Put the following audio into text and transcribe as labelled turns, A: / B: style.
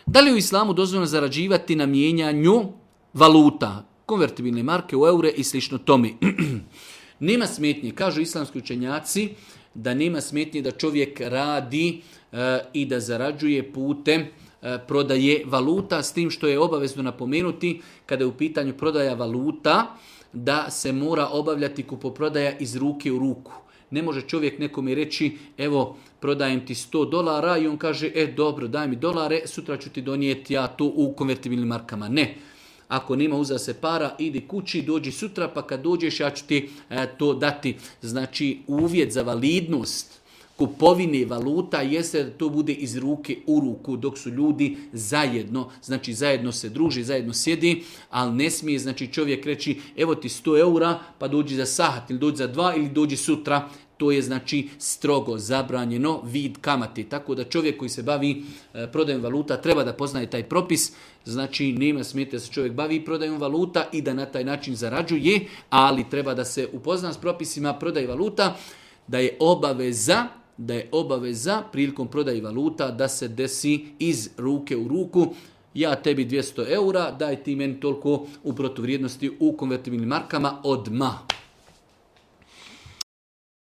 A: Da li je u islamu dozvoljeno zarađivati na mijenjanju valuta, konvertibilne marke u eure i slično tome? Nema smetnje, kažu islamski učenjaci, da nema smetnje da čovjek radi i da zarađuje putem prodaje valuta, s tim što je obavezno napomenuti kada je u pitanju prodaja valuta, da se mora obavljati kupoprodaja iz ruke u ruku. Ne može čovjek nekome reći, evo, prodajem ti $100 i on kaže, dobro, daj mi dolare, sutra ću ti donijeti ja to u konvertibilnim markama. Ne. Ako nema uza se para, idi kući, dođi sutra, pa kad dođeš ja ću ti to dati. Znači, uvjet za validnost kupovine valuta jeste da to bude iz ruke u ruku, dok su ljudi zajedno, znači zajedno se druži, zajedno sjedi, ali ne smije, znači čovjek reći, evo ti 100 eura, pa dođi za sahat, ili dođi za 2, ili dođi sutra. To je znači strogo zabranjeno vid kamate. Tako da čovjek koji se bavi prodajom valuta treba da poznaje taj propis. Znači nema smetnje da se čovjek bavi prodajom valuta i da na taj način zarađuje, ali treba da se upozna s propisima prodaje valuta, da je obaveza prilikom prodaje valuta da se desi iz ruke u ruku. Ja tebi 200 eura, daj ti meni toliko u protuvrijednosti u konvertibilnim markama odmah.